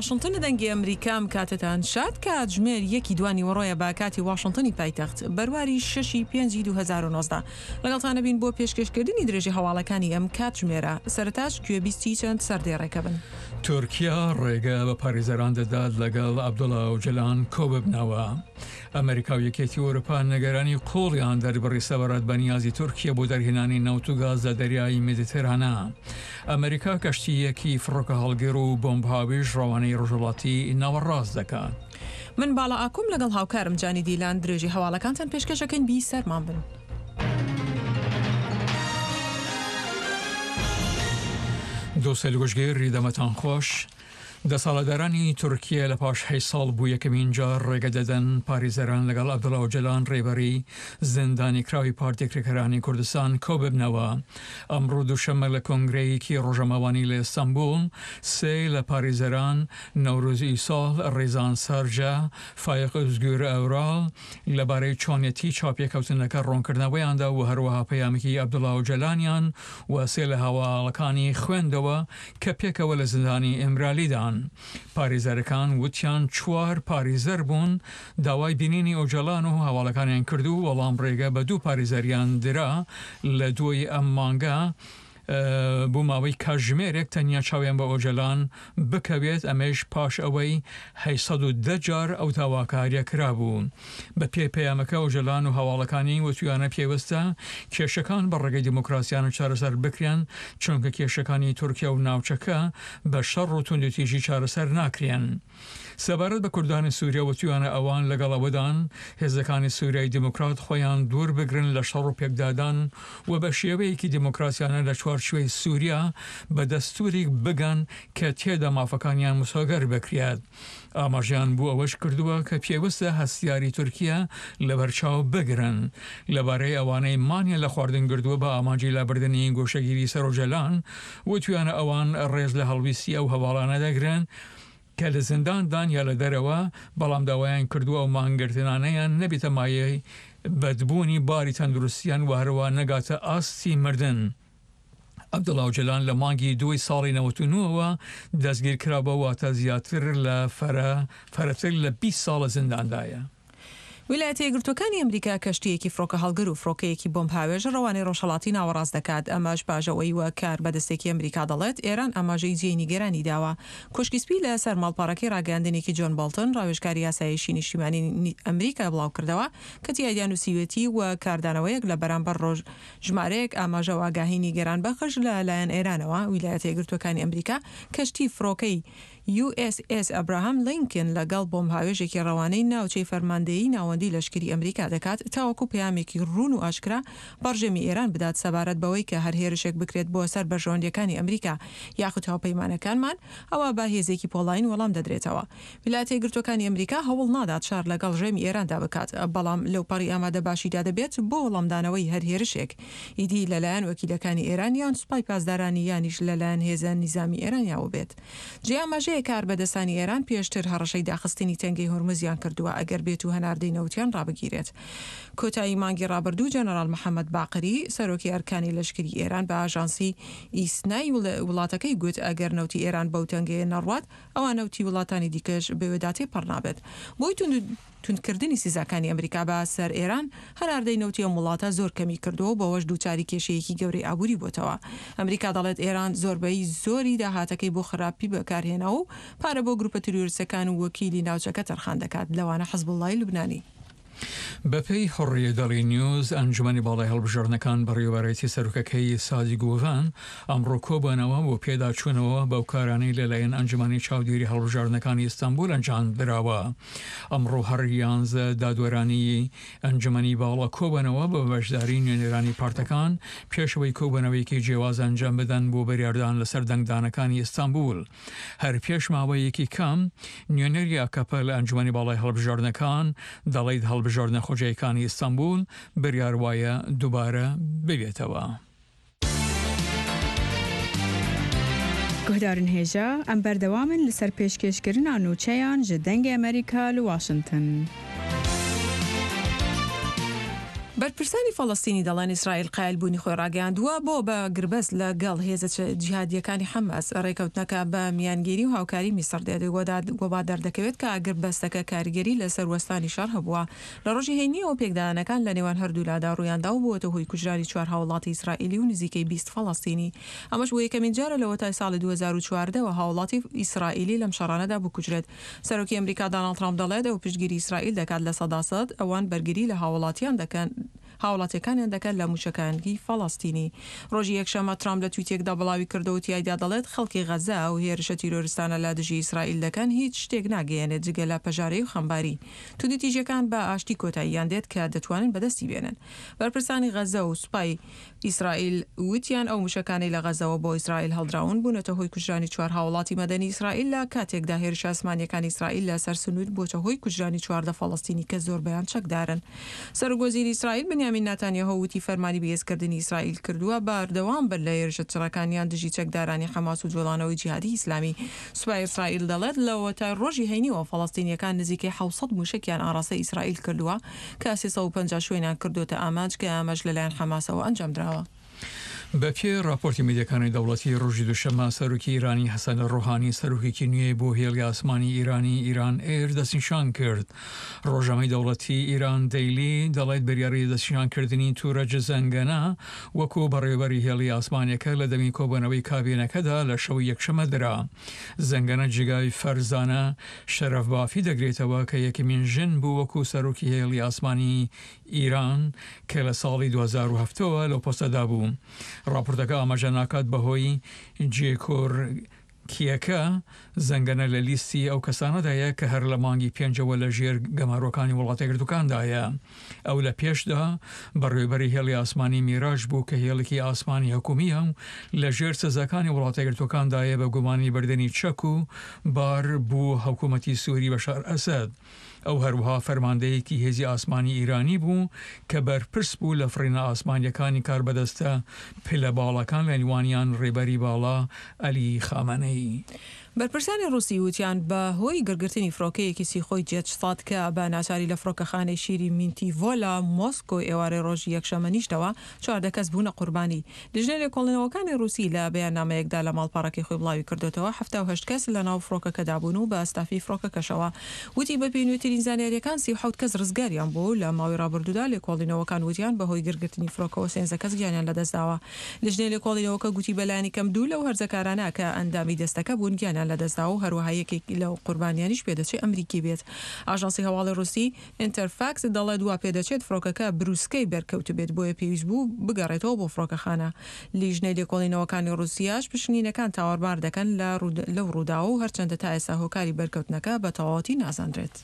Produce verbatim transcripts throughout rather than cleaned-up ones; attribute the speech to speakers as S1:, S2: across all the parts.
S1: واشنتن دەنگی ئەمریکا ئەم کاتەتان شاد. کاتژمێر یەکی دوانی وەڕۆیە بە کاتی واشنتنی پایتەخت، بەرواری شەشی پێنجی دوو هەزار و نۆزدە. لەگەڵتانە بین بۆ پێشکێشکردنی درێژی هەواڵەکانی ئەم کاتژمێرە. سەرەتاش گوێبیستی چەند سەردێڕێکە بن.
S2: تورکیا ڕێگە بە پارێزەران دەدات لەگەڵ عەبدوڵا ئۆجەلان کۆببنەوە. ئەمریکا و یەکێتی ئەوروپا نیگەرانی قوڵیان دەربڕی سەبارەت بە نیازی تورکیا بۆ دەرهێنانی نەوت و گاز لە دەریای مێدیتێرانە. ئەمریکا کەشتییەکی فڕۆکە هەڵگر و بۆمب هاوێژ ڕەوانەی ڕۆژهەڵاتی ناوەڕاست دەکات.
S1: من باڵا ئاکوم لەگەڵ هاوکارم جانی دیلان درێژی هەواڵەکانتان پێشکەشەکەین. بی سەرمان بن.
S2: دۆستەیل گوشگیر دەمەتان خۆش. دەسەڵاتدارانی تورکیا لە پاش هەشت ساڵ بۆ یەکەمین جار ڕێگە دەدەن پارێزەران لەگەڵ عەبدوڵا ئۆجەلان ڕێبەری زیندانی کراوی پارتی کرێکارانی کوردستان کۆببنەوە. ئەمڕۆ دووشەممە لە کۆنگرەیەکی ڕۆژەماوانی لە ئیستانبوڵ سێ لە پارێزەران نەورۆز ئیساڵ، ڕێزان سەرجە، فایق ئۆزگور ئەورال لەبارەی چۆنیەتی چاپێکەوتنەکە ڕوونکردنەوەیاندا و هەروەها پەیامێکی عەبدوڵا ئۆجەلانیان و سێ لە هەواڵەکانی خوێندەوە کە پێکەوە لە زیندانی ئیمرالیدان. پارێزەرەکان وتیان چوار پارێزەر بوون داوای بینینی ئۆجەلان و هەواڵەکانیان کردو وەڵام ڕێگە بە دوو پارێزەریان درا لە دوای ئەم مانگە بۆ ماوەی کاتژمێرێک تەنیا چاویان بە ئۆجەلان بکەوێت، ئەمەش پاش ئەوەی هەشت سەد و دە جار ئەو داواکاریە کرابوو. بە پێی پەیامەکە ئۆجەلان و هەواڵەکانی وتویانە پێویستە کێشەکان بە ڕێگەی دیموکراسیانە چارەسەر بکرێن، چونکە کێشەکانی تورکیا و ناوچەکە بە شەڕ و توندوتیژی چارەسەر ناکرێن. سەبارەت بە کوردانی سووریا وتویانە ئەوان لەگەڵ ئەوەدان هێزەکانی سووریای دیموکرات خۆیان دوور بگرن لە شەڕ و پێکدادان و بە شێوەیەکی دیموکراسیانە لە چوارچێوەی سووریا بە دەستوریک بگەن کە تێدا مافەکانیان مسۆگەر بکرێت. ئاماژیان بۆ ئەوەش کردووە کە پێویستە هەستیاری تورکیا لەبەرچاو بگرن. لەبارەی ئەوانەی مانیان لە خواردن گردووە بە ئامانجی لابردنی گۆشەگیری سەرۆجەلان وتویانە ئەوان ڕێز لە هەڵویستی ئەو هەواڵانە دەگرن کە لە زینداندان یا لە دەرەوە، بەڵام داوایان کردووە ئەو مانگرتنانەیان نەبێتە مایەی بەدبوونی باری تەندروستیان و هەروە نەگاتە ئاستی مردن. عەبدوڵا ئۆجەلان لە مانگی دووی ساڵی نەوەت و نۆوە دەستگیر کرابووە، واتە زیاتر لە فەرەتر لە بیست ساڵە زینداندایە.
S1: ویلایەتە یەکگرتووەکانی ئەمریکا کەشتییەکی فڕۆکە هەڵگر و فڕۆکەیەکی بۆمب هاوێژ ڕەوانەی ڕۆژهەڵاتی ناوەڕاست دەکات، ئەمەش پاش ئەوەی وەک کاربەدەستێکی ئەمریکا دەڵێت ئێران ئاماژەی جێی نیگەرانی داوە. کۆشکی سپی لە سەر ماڵپەڕەکەی ڕاگەیاندنێکی جۆن بۆڵتن ڕاوێژکاری ئاسایشی نیشتیمانی ئەمریکا بڵاوکردەوە کە تیایدا نووسیوێتی و کاردانەوەیەک لە بەرامبەر ڕۆژ ژمارەیەک ئاماژە و ئاگاهی نیگەران بەخش لە لایەن ئێرانەوە. ویلایەتە یەکگرتووەکانی ئەمریکا کەشتی فڕۆکەی یو ئێس ئێس ئەبراهام لینکن لەگەڵ بۆمب هاوێژێکی ڕەوانەی ناوچەی فەرماندەیی ناوەندی لەشکری ئەمریکا دەکات تاوەکو پەیامێکی ڕوون و ئاشکرا بە ڕژێمی ئێران بدات سەبارەت بەوەی کە هەر هێرشێک بکرێت بۆ سەر بەرژەوەندیەکانی ئەمریکا یاخود هاوپەیمانەکانمان ئەوا بە هێزێکی پۆڵاین وەڵام دەدرێتەوە. ویلایەتە یەکگرتووەکانی ئەمریکا هەوڵ نادات شەڕ لەگەڵ ڕژێمی ئێراندا بکات، بەڵام لەوپەڕی ئامادەباشیدا دەبێت بۆ وەڵامدانەوەی هەر هێرشێک ئیدی لەلایەن وەکیلەکانی ئێران یان سوپای پاسدارانی یانیش لەلایەن هێزە نیزامی ئێرانیاوە بێت. جێ ئاماژەیە کاربەدەستانی ئێران پێشتر هەڕەشەی داخستنی تەنگەی هورمزیان کردووە ئەگەر بێت و هەناردەی نەوتیان ڕابگیرێت. کۆتایی مانگی ڕابردوو جەنەراڵ محەممەد باقری سەرۆکی ئەرکانی لەشکری ئێران بە ئاژانسی ئیسنای وڵاتەکەی گوت ئەگەر نەوتی ئێران بەو تەنگەیە نەڕوات ئەوا نەوتی وڵاتانی دیکەش بەوێدا تێپەڕ نابێت. بۆی توندکردنی سزاکانی ئەمریکا بە سەر ئێران هەناردەی نەوتی ئەم وڵاتە زۆر کەمی کردووە و بەوەش دووچاری کێشەیەکی گەورەی ئابووری بۆتەوە. ئەمریکا دەڵێت ئێران زۆربەی زۆری داهاتەکەی بۆ خراپی بەکارهێناوە و پارە بۆ گروپە تیرۆریستەکان و وەکیلی ناوچەکە تەرخان دەکات، لەوانە حزبوڵڵای لوبنانی.
S2: بەپێی حوڕیە دەڵی نیوز، ئەنجومەنی باڵای هەڵبژاردنەکان بەڕێوەبەرایەتی سەرۆکەکەی سادی گوڤان ئەمڕۆ کۆبوونەوە بۆ پێداچوونەوە بەو کارانەی لەلایەن ئەنجومەنی چاودێری هەڵبژاردنەکانی ئیستانبول ئەنجامدراوە. ئەمڕۆ هەر یانزە دادوەرانی ئەنجومەنی باڵا کۆبوونەوە بە بەشداری نوێنەرانی پارتەکان پێشەوەی کۆبوونەوەیەکی جیاواز ئەنجام بدەن بۆ بڕیاردان لەسەر دەنگدانەکانی ئیستانبول. هەر پێش ماوەیەکی کەم نوێنەری ئاکەپە لە ئەنجومەنی باڵای هەڵبژاردنەکان دەڵێت هەڵبژاردنە خۆجێیەکانی ئیستانبول بڕیار وایە دووبارە ببێتەوە.
S3: گوهدارن هێژا ئەم بەردەوامن لەسەر پێشکێشکردنا نوچەیان ji دەنگی ئەمریکا لە واشنتن.
S1: بەرپرسانی فەڵەستینی دەڵێن ئیسرائیل قایلبوونی خۆی ڕاگەیاندووە بۆ بە گربەست لەگەڵ هێزە جیهادییەکانی حەماس. ڕێکەوتنەکە بە میانگیری و هاوکاری میسڕ دێت و وا دەردەکەوێت کە ئاگربەستەکە کاریگەری لەسەر وەستانی شەڕ هەبووە. لە ڕۆژی هەینییەوە پێکدادانەکان لە نێوان هەردوولادا ڕوویاندا و بووەتە هۆی کوژرانی چوار هاوڵاتی ئیسرائیلی و نزیکەی بیست فەڵەستینی. ئەمەش بۆ یەکەمین جارە لەوەتای ساڵی دوو هەزار و چواردە وە هاوڵاتی ئیسرائیلی لەم شەڕانەدا بکوژرێت. سەرۆکی ئەمریکا داناڵد ترامپ دەڵێت ئەو پشتگیری ئیسرائیل دەکات لە سەدا سەد، ئەوان بەرگری لە هاوڵاتیان دەکەن هاوڵاتیەکانیان دەکەن لە موشەکانی فەڵەستینی. ڕۆژی یەکشەممە ترامپ لە تویتێکدا بڵاوی کردەوە و تیایدا دەڵێت خەڵکی غەزە ئەو هێرشە تیرۆرستانە لە دژی ئیسرائیل دەکەن هیچ شتێک ناگەیەنێت جگە لە پەژارەی و خەمباری. توندوتیژیەکان بە ئاشتی کۆتاییان دێت کە دەتوانن بەدەستی بێنن. بەرپرسانی غەزە و سوپای ئیسرائیل وتیان ئەو موشەکانەی لە غەزەوە بۆ ئیسرائیل هەڵدراون بوونەتە هۆی کوژرانی چوار هاوڵاتی مەدەنی ئیسرائیل لە کاتێکدا هێرشە ئاسمانییەکانی ئیسرائیل لە سەر سنوور بووەتە هۆی کوژرانی چواردە فەڵەستینی کە زۆربەیان چەکدارن. سەرۆک وەزیری ئیسرائیل بنیامین ناتانیاهۆ وتی فەرمانی بەهێزکردنی ئیسرائیل کردووە بەردەوام بن لە هێرشە چڕەکانیان دژی چەکدارانی حەماس و جوڵانەوەی جیهادی ئیسلامی. سوپای ئیسرائیل دەڵێت لەوەتای ڕۆژی هەینیەوە فەڵەستینییەکان نزیکەی حەوت سەد موشەکیان ئاڕاستەی ئیسرائیل کردووە کە سێ سەد و پەنجا شوێنیان کردۆتە ئامانج کە ئەمەش لەلایەن حەماسەوە ئەنجامدراوە.
S2: بەپێی ڕاپۆرتی میدیاکانی دەوڵەتی، ڕۆژی دووشەممە سەرۆکی ئیرانی حەسەن ڕۆحانی سەرۆکێکی نوێی بۆ هێڵی ئاسمانی ئیرانی ئیران ئێر دەستنیشان کرد. ڕۆژنامەی دەوڵەتی ئیران دەیلی دەڵێت بریاری دەستنیشانکردنی تورەج زەنگەنە وەکو بەڕێوەبەری هێڵی ئاسمانیەکە لە دەمی کۆبوونەوەی کابینەکەدا لە شەوی یەکشەممە درا. زەنگەنە جێگای فەرزانە شەرەفبافی دەگرێتەوە کە یەکەمین ژن بوو وەکو سەرۆکی هێڵی ئاسمانی ئیران کە لە ساڵی دوو هەزار و هەفت ەوە لەو پۆستەدا بوو. ڕاپۆرتەکە ئاماژە ناکات بەهۆی جێکۆرکییەکە، زەنگەنە لە لیستی ئەو کەسانەدایە کە هەر لە مانگی پێنجەوە لە ژێر گەمارۆکانی وڵاتەیەکگرتووکاندایە. ئەو لە پێشدا بەڕێوەبەری هێڵی ئاسمانی میراج بوو کە هێڵێکی ئاسمانی حکومییە و لە ژێر سزاکانی وڵاتەیەکگرتووەکاندایە بە گومانی بردنی چەک و بار بۆ حکومەتی سوری بەشار ئەسەد. ئەو هەروەها فەرماندەیەکی هێزی ئاسمانی ئیرانی بوو کە بەرپرس بوو لە فڕینە ئاسمانییەکانی کاربەدەستە پلە باڵاکان لە نێوانیان ڕێبەری باڵا عەلی خامەنەیی.
S1: بەرپرسانی ڕووسی وتیان بە هۆی گڕگرتنی فڕۆکەیەکی سیخۆی جێت سەد کە بە ناچاری لە فڕۆکەخانەی شیری مینتیڤۆ لە مۆسکۆ ئێوارەی ڕۆژی یەکشەممە نیشتەوە، چواردە کەس بوونە قوربانی. لیژنەی لێکۆڵینەوەکانی ڕووسی لە بەیاننامەیەکدا لە ماڵپەڕەکەی خۆی بڵاویکردۆتەوە، حەفتا و هەشت کەس لە ناو فڕۆکەکەدا بوون و بە ستافی فڕۆکەکەشەوە. وتی بەپێی نوێترین زانیارییەکان سی و حەوت کەس ڕزگاریان بووە و لە ماوەی ڕابردوودا لێکۆڵینەوەکان وتیان بەهۆی گڕگرتنی فڕۆکەوە سێنزە کەس گیانیان لەدەستداوە. لیژنەی لێکۆڵینەوەکە گوتی بەلایەنی کەم دوو لەو هەرزەکارانە کە ئەندامی دەستەکە بوون گیانیان لەدەستداوە و هەروەها یەکێک لەو قوربانیانیش پێدەچێت ئەمریکی بێت. ئاژانسی هەواڵی ڕووسی ئینتەرفاکس دەڵێت وا پێدەچێت فڕۆکەکە بروسکەی بەرکەوتبێت بۆیە پێویست بوو بگەڕێتەوە بۆ فڕۆکەخانە. لیژنەی لێکۆڵینەوەکانی ڕووسیاش پشکنینەکان تاوانبار دەکەن لەو ڕووداوە و هەرچەندە تا ئێستا هۆکاری بەرکەوتنەکە بە تەواوەتی نازانرێت.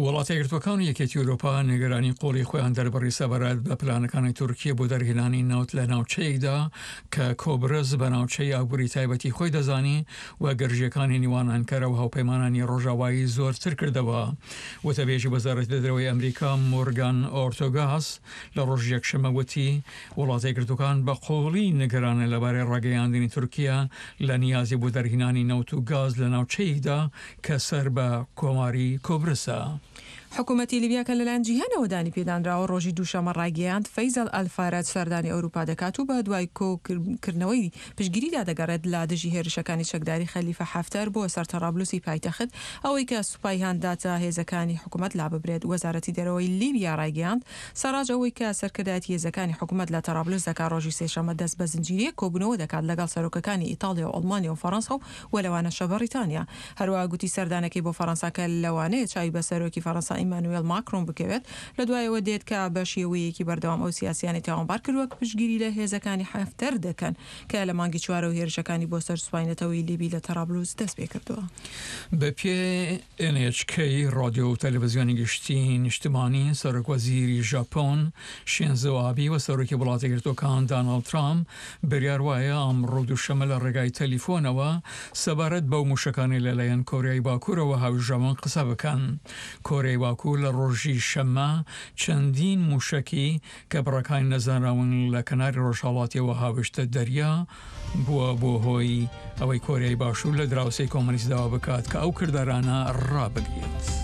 S2: وڵاتە یەکگرتووەکان و یەکێتی ئەوروپا نیگەرانی قوڵی خۆیان دەربڕی سەبارەت بە پلانەکانی تورکیە بۆ دەرهێنانی نەوت لە ناوچەیەکدا کە کۆبرس بە ناوچەی ئابووری تایبەتی خۆی دەزانی و گرژییەکانی نێوان ئەنکەرە و هاوپەیمانانی ڕۆژاوایی زۆرتر کردەوە. وتەبێژی وەزارەتی دەرەوەی ئەمریکا مۆرگان ئۆرتۆگاس لە ڕۆژی یەکشەممە وتی وڵاتە یەکگرتووەکان بە قووڵی نیگەرانن لەبارەی ڕاگەیاندنی تورکیە لە نیازی بۆ دەرهێنانی نەوت و گاز لە ناوچەیەکدا کە سەر بە کۆماری کۆبرسە.
S1: حکومەتی لیبیا کە لەلایەن جیهانەوە دانی پێدانراوە ڕۆژی دووشەممە ڕایگەیاند فەیزەل ئەلفارەج سەردانی ئەوروپا دەکات و بە دوای کۆکردنەوەی پشتگیریدا دەگەڕێت لە دژی هێرشەکانی چەکداری خەلیفە حەفتەر بۆ سەر تەرابلوسی پایتەخت ئەوەی کە سوپای هاندا تا هێزەکانی حکومەت لاببرێت. وەزارەتی دەرەوەی لیبیا ڕایگەیاند سەراج ئەوەی کە سەرکردایەتی هێزەکانی حکومەت لە تەرابلوس دەکات ڕۆژی سێشەممە دەست بە زنجیرەیەک کۆبوونەوە دەکات لەگەڵ سەرۆکەکانی ئیتاڵیا و ئەڵمانیا و فەڕەنسا و و لەوانەشە بەڕیتانیا. هەروەها گوتی سەردانەکەی بۆ فەڕەنسا کە لەوانەیە چاوی بە سەرۆکی فەڕەنسا ئیمانوێل ماکرۆن بکەوێت لە دوایەوە دێت کە بە شێوەیەکی بەردەوام ئەو سیاسیانەی تاوانبار کردووە کە پشتگیری لە هێزەکانی حەفتەر دەکەن کە لە مانگی چوارەوە هێرشەکانی بۆ سەر سوپای نەتەوەیی لیبی لە تەرابلوس دەستپێکردووە.
S2: بەپێی ئێن ئێچ کەی ڕادیۆ و تەلەڤزیۆنی گشتی نیشتمانی، سەرۆک وەزیری ژاپۆن شینزۆ ئابی و سەرۆکی وڵاتە یەکگرتووەکان داناڵد ترامپ بریار وایە ئەمڕۆ دووشەممە لە ڕێگای تەلیفۆنەوە سەبارەت بەو موشەکانەی لەلایەن کۆریای باکوورەوە هاویژراون قسە بکەن. کۆریای باکوور لە ڕۆژی شەممە چەندین موشەکی کە بڕەکانی نەزانراون لە کەناری ڕۆژهەڵاتیەوە هاویشتە دەریا بووە بۆ هۆی ئەوەی کۆریای باشوور لە دراوسێی کۆمۆنیست داوا بکات کە ئەو کردارانە ڕابگرێت.